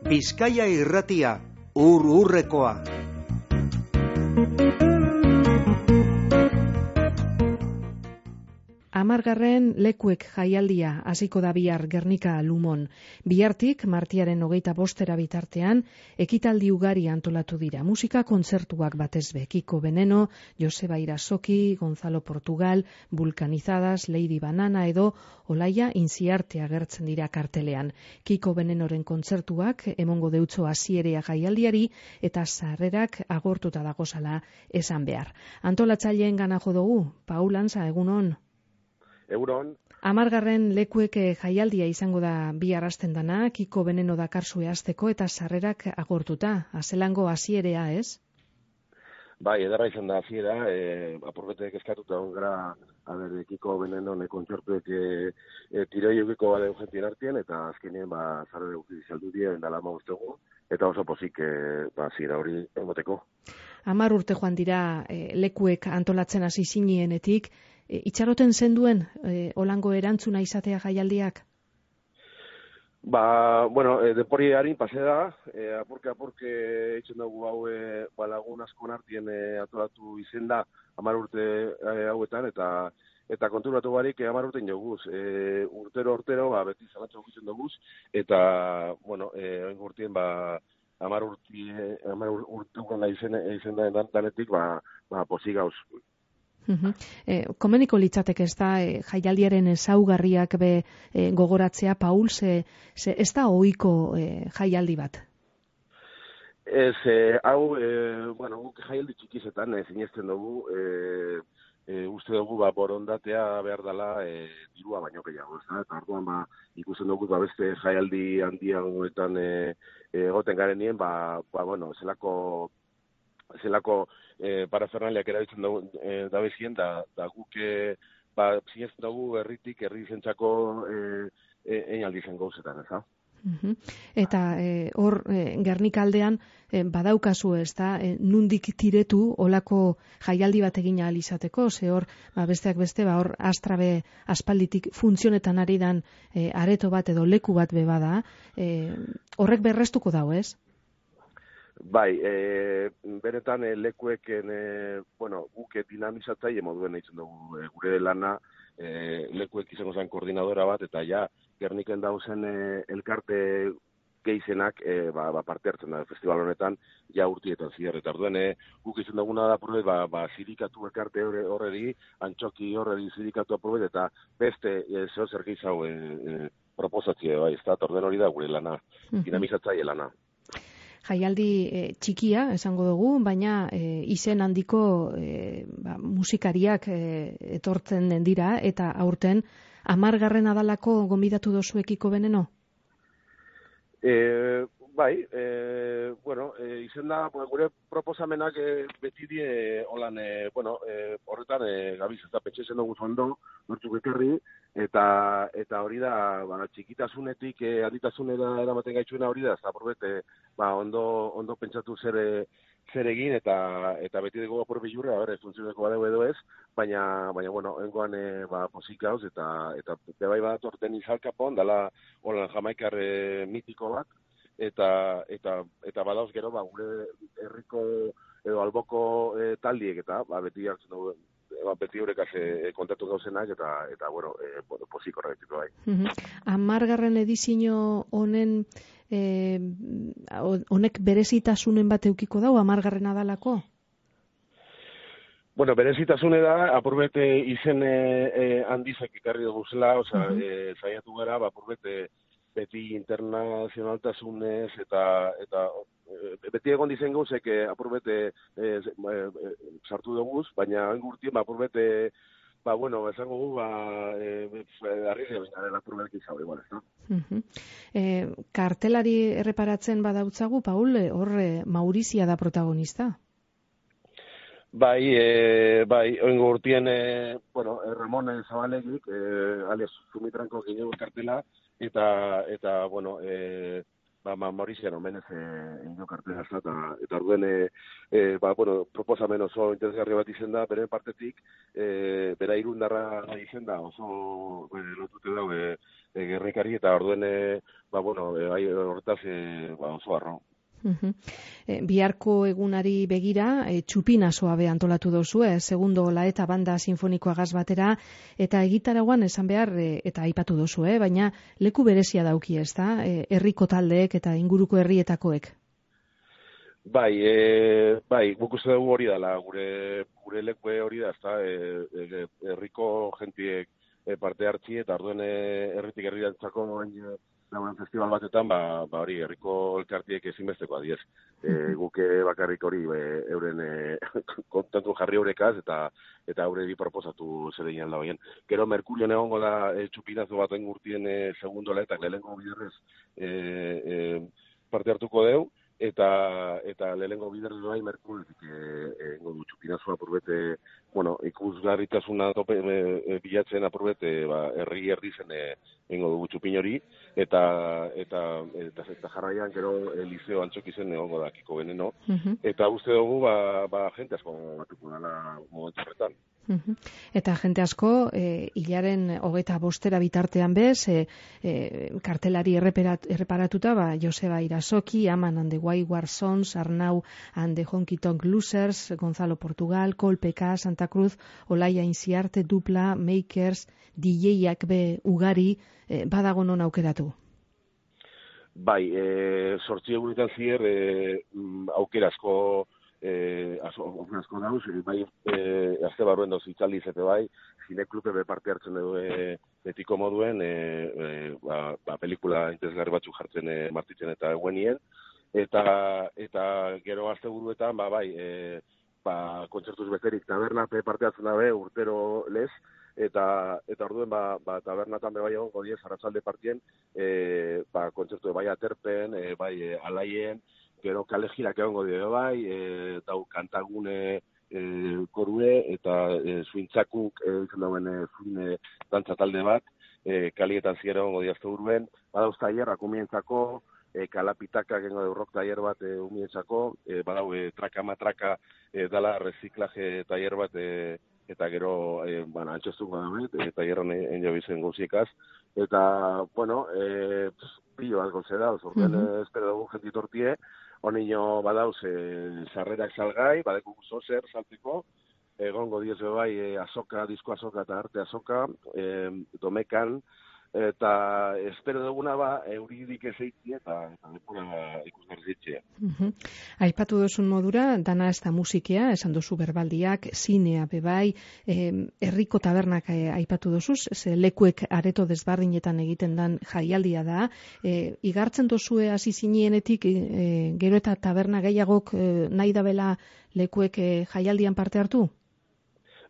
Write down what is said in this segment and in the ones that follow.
Bizkaia Irratia, ur-urrekoa. Amargarren lekuek jaialdia hasiko da bihar Gernika Lumon. Bihartik, martiaren 25 bitartean, ekitaldi ugari antolatu dira. Musika kontzertuak batez be. Kiko Veneno, Joseba Irasoki, Gonzalo Portugal, Vulcanizadas, Lady Banana edo Olaia Intziarte agertzen dira kartelean. Kiko Venenoren kontzertuak emongo deutzo hasierea jaialdiari eta sarrerak agortuta dagozala esan behar. Antolatzaileen gana jo dugu, Paul Antza, egunon. Euron. Amargarren lekuek jaialdia izango da bihar hasten dana, Kiko Veneno dakarzue hasteko eta sarrerak agortuta. Azelango hasierea, ez? Bai, ederra izan da hasiera, apurbetek eskatuta gara, Kiko Veneno kontzertuek tiroi eukiko bade urgentien artien, eta azkenean sarrera guzti saldu dira, endala mauztegu, eta oso pozik hasiera hori emoteko. 10 urte joan dira lekuek antolatzen hasi zinienetik, itxaroten zenduen olango erantzuna izatea jaialdiak? Depori harin pase da, apurke eitzen dugu hau lagun askon artien antolatu izen da 10 urte hauetan, eta konturatu barik 10 urtein joguz. Urtero, beti zalatxo gutzen duguz, eta, oin urtien, 10 urte izen da danetik, pozik gauz. Komeniko litzateke ez da jaialdiaren ezaugarriak gogoratzea, Paul, ze ez da ohiko jaialdi bat? Ez, hau, guk jaialdi txikizetan sinesten dugu, uste dugu borondatea behar dela dirua baino gehiago, ez da? Eta orduan ikusten dugu beste jaialdi handiagoetan egoten garenien, zelako parafernaliak erabiltzen da bezien, da guk sinesten dugu herri zentzako einaldi zen gauzetan, ez da? Eta hor Gernika aldean badaukazu, ez da, nundik tiretu olako jaialdi bat egin ahal izateko, ze hor besteak beste, hor astrabe aspalditik funtzionetan ari dan areto bat edo leku bat bada, horrek berrestuko dau, ez? Bai, benetan lekueken, guk dinamizatzaile moduen eitzen dugu gure lana, lekuek izango zen koordinadora bat, eta Gerniken dauzen elkarte geizenak parte hartzen da festival honetan, urtietan zier, eta orduen guk izan duguna da probet, zirikatu elkarte horreri, antxoki horreri zirikatu probet, eta beste zer gizau proposatzie, ez da, orduen hori da gure lana, dinamizatzaile lana. Jaialdi txikia, esango dugu, baina izen handiko musikariak etortzen dira, eta aurten 10. adalako gonbidatu dozu Kiko Veneno? Bai, izen da, gure proposamenak beti die holan, horretan gabiz, ez da pentsa dugu zondo, nortzuk ekarri, eta hori da, txikitasunetik handitasunera eramaten gaitzuena hori da, ez da, ondo pentsatu zer egin, eta beti dugu apur bilurra, funtzioneko badeu edo ez, baina engoan pozik gauz, eta bebai bat orten izalkapon, dala holan jamaikar mitiko bat, eta badauz gero, gure herriko edo alboko taldiek, eta beti hartzen dugu, beti horrekaz kontatu gauzenak, eta pozik horretik bai. 10. edizio honen honek berezitasunen bat eukiko dau 10. adalako? Berezitasune da, apurbet izen handizak ikarri dugu zela, zaiatu gara, apurbet beti internazionaltasunez, eta beti egon dizen gauzek apurbet sartu duguz, baina engurtien apurbet esango gu, arrizia baina dela apurbet izau, igual, ez da? Kartelari erreparatzen badautzagu, Paul, hor Maurizia da protagonista? Bai, oingo urtien, Ramon Zabalegik, alias Zumitranko gineu kartela, eta Maurizia nomenez egin kartela, eta orduen, proposamen oso interesgarri bat izen da, beren partetik, bera irundarra izen da, oso lotute dago Gernikari, eta orduen, bueno, horretaz, oso harro. Biharko egunari begira, txupinazoa be antolatu dozu, segundo laeta banda sinfonikoagaz batera, eta egitaragoan esan behar, eta aipatu dozu, baina leku berezia dauki ez da, herriko taldeek eta inguruko herrietakoek. Bai, guk uste dugu hori dela, gure lekue hori da, ez da, herriko jentiek parte hartzi, eta orduen herritik herriantzako lagunen festival batetan, hori, herriko elkartiek ezinbesteko adiez. Guk bakarrik hori euren kontentu jarri eurekaz, eta eureri proposatu zereinen da hoien. Gero Merkurio egongo da txupinazo baten gurtien segundo laetak lehenengo biderrez parte hartuko deu, eta lehenengo biderrez bai Merkuriotik egingo du txupinazoa apurbete, ikusgarritasuna tope bilatzen apurbete herri zen egingo dugu txupin hori, eta jarraian gero Eliseo Antxokizen egongo da Kiko Veneno, eta uste dugu jente asko batuko dela momentu horretan. Eta jente asko, hilaren 25 bitartean bez, kartelari erreparatuta, Joseba Irasoki, Aman and the Wayward Sons, Arnau and the Honky Tonk Losers, Gonzalo Portugal, Kolpeka, Santa Cruz, Olaia Inziarte, Dupla, Makers, DJ-ak be ugari, badago non aukeratu? Bai, 8 egunetan zier aukera asko dauz, bai, azte barruen doz itzaldi zete bai, zineklube parte hartzen dugu betiko moduen, pelikula interesgarri batzuk jartzen martitzen eta eguenien, eta gero azte buruetan, kontzertuz beterik tabernape parte hartzen dabe urtero lez, eta orduen tabernatan bai egongo diez arratzalde partien, kontzertu bai aterpen, bai alaien, gero kalegirak egongo dio bai, dau kantagune korue, eta suintzakuk egiten dauen zuine dantza talde bat, kalietan ziera egongo diazte urben, badauz tailerrak umientzako, kalapitakak egongo du rock tailer bat umientzako, badau traka-matraka dala reziklaje tailer bat, eta gero, antxoztuk badabet, tailerran enjobizen gauziekaz, eta, pilo bat gozera, orduan espero dugu jentitortie, honino badauz sarrerak salgai, badeko zozer salteko, egongo diez bai azoka, disko azoka eta arte azoka, domekan, eta espero duguna euridik ezeitzia eta lepura ikusgarri zitzea. Aipatu duzun modura, dana ez da musikea, esan duzu berbaldiak, zinea bebai, herriko tabernak aipatu duzuz, lekuek areto desbardinetan egiten dan jaialdia da, igartzen duzue hasi zinienetik, gero eta taberna gehiagok nahi dabela lekuek jaialdian parte hartu?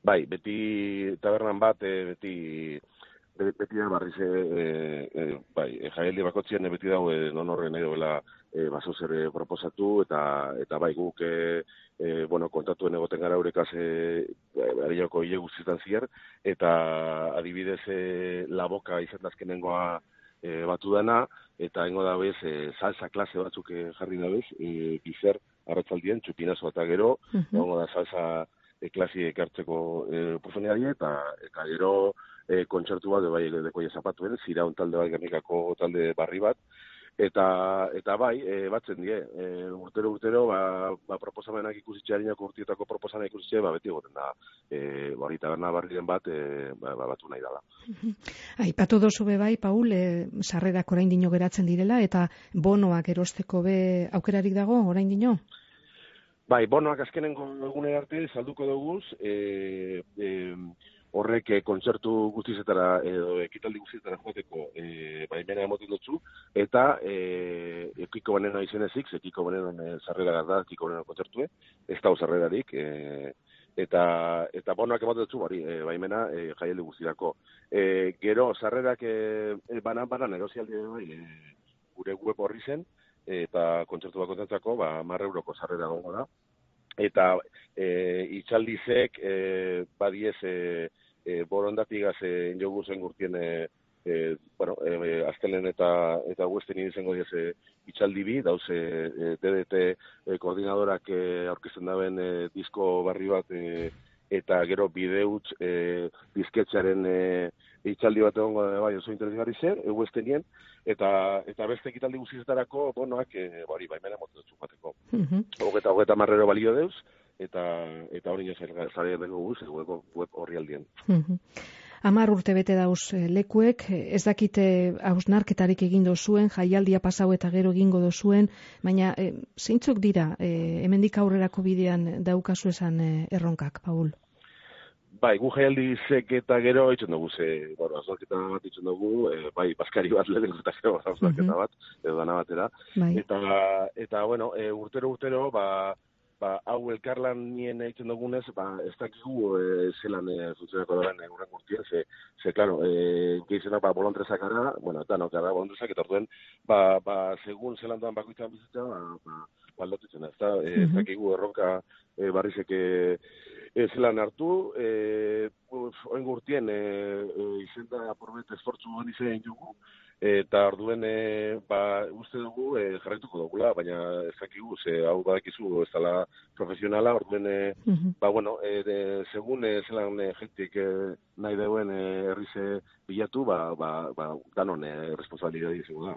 Bai, beti tabernan bat, beti da barriz, jaialdi bakotzien beti dago non horren nahi dobela baso zer proposatu, eta bai guk kontatuen egoten gara eurekaz arioko hile guztietan zier, eta adibidez laboka izan dazkenengoa batu dana, eta hengo da bez salsa klase batzuk jarri da bez, bizer arratzaldien, txupinazo eta gero, hengo da salsa klasi ekartzeko oportunidadi, eta gero kontzertu bat, dekoia zapatuen, ziraun talde bat, Gernikako talde barri bat, eta bai, batzen die, urtero, proposamenak ikusitxearinako urtietako proposamenak ikusitxe, beti egoten da, hori taberna barrien bat, batu nahi dela. Aipatu dozu bai, Paul, sarrerak orain dino geratzen direla, eta bonoak erosteko be aukerarik dago, orain dino? Bai, bonoak azkenengo egunera arte salduko duguz, horrek kontzertu guztizetara edo ekitaldi guztizetara joateko baimena emoten dutzu, eta Kiko Veneno izenezik, Kiko Veneno sarrera da, Kiko Veneno kontzertue, ez da sarrerarik, eta bonoak emoten dutzu, baimena jaialdi guztirako. Gero, sarrerak banan negozialdi gure web horri zen, eta kontzertu bakoentzako 10 euroko sarrera gongo da. Eta itxaldizek badiez borondatigaz jogu zen gurtien aztelen eta huesten izango diez itxaldi bi, dauz DDT koordinadorak aurkezten daben disko barri bat eta gero bideutz bizketxaren itxaldi bat egongo bai oso interesgarri zen, eguestenien, eta beste ekitaldi guztietarako bonoak baimena motu dut bateko. Hogeta marrero balio deuz, eta hori zare dengo guz, web horri aldien. 10 urte bete dauz lekuek, ez dakite hausnarketarik egin dozuen, jaialdia pasau eta gero egingo dozuen, baina zeintzuk dira, hemendik aurrerako bidean daukazu esan erronkak, Paul? Bai, gu jaialdi zek eta gero itxen dugu, hausnarketa bat itxen dugu, bai, baskari bat lehenko eta gero hausnarketa bat, edo dana batera. Bai. Eta bueno, urtero, hau elkarlan nien egiten dugunez, ez dakigu zelan funtzionako daren urren gurtien, ze klaro, gehizenak bolontrezak gara, eta gara bolontrezak, eta orduen, segun zelan doan bakoitzan bizitza, aldotitzen, ez dakigu erronka barrizek zelan hartu, oen gurtien izenda porbet esfortzu honi zein jugu, eta orduen uste dugu jarraituko dugula, baina ez dakigu, hau badakizu ez dela profesionala, orduen, segun zelan jentik nahi deuen herrize bilatu, danon responsabilidade izango da.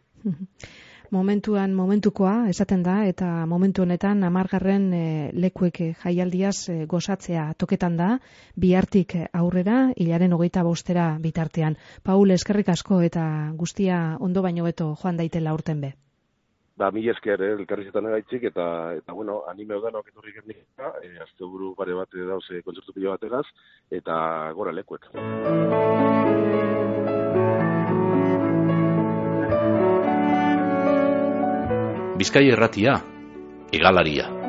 Momentukoa, esaten da, eta momentu honetan 10. Lekuek jaialdiaz gozatzea toketan da, bihartik aurrera, hilaren 25 bitartean. Paul, eskerrik asko eta guztia ondo baino beto joan daitela urten be. Mila esker, elkarrizetan egaitzik, eta anime odanok etorri gernika, asteburu pare bat dauz kontzertu pilo bategaz, eta gora Lekuek. Bizkaia Irratia, hegalaria.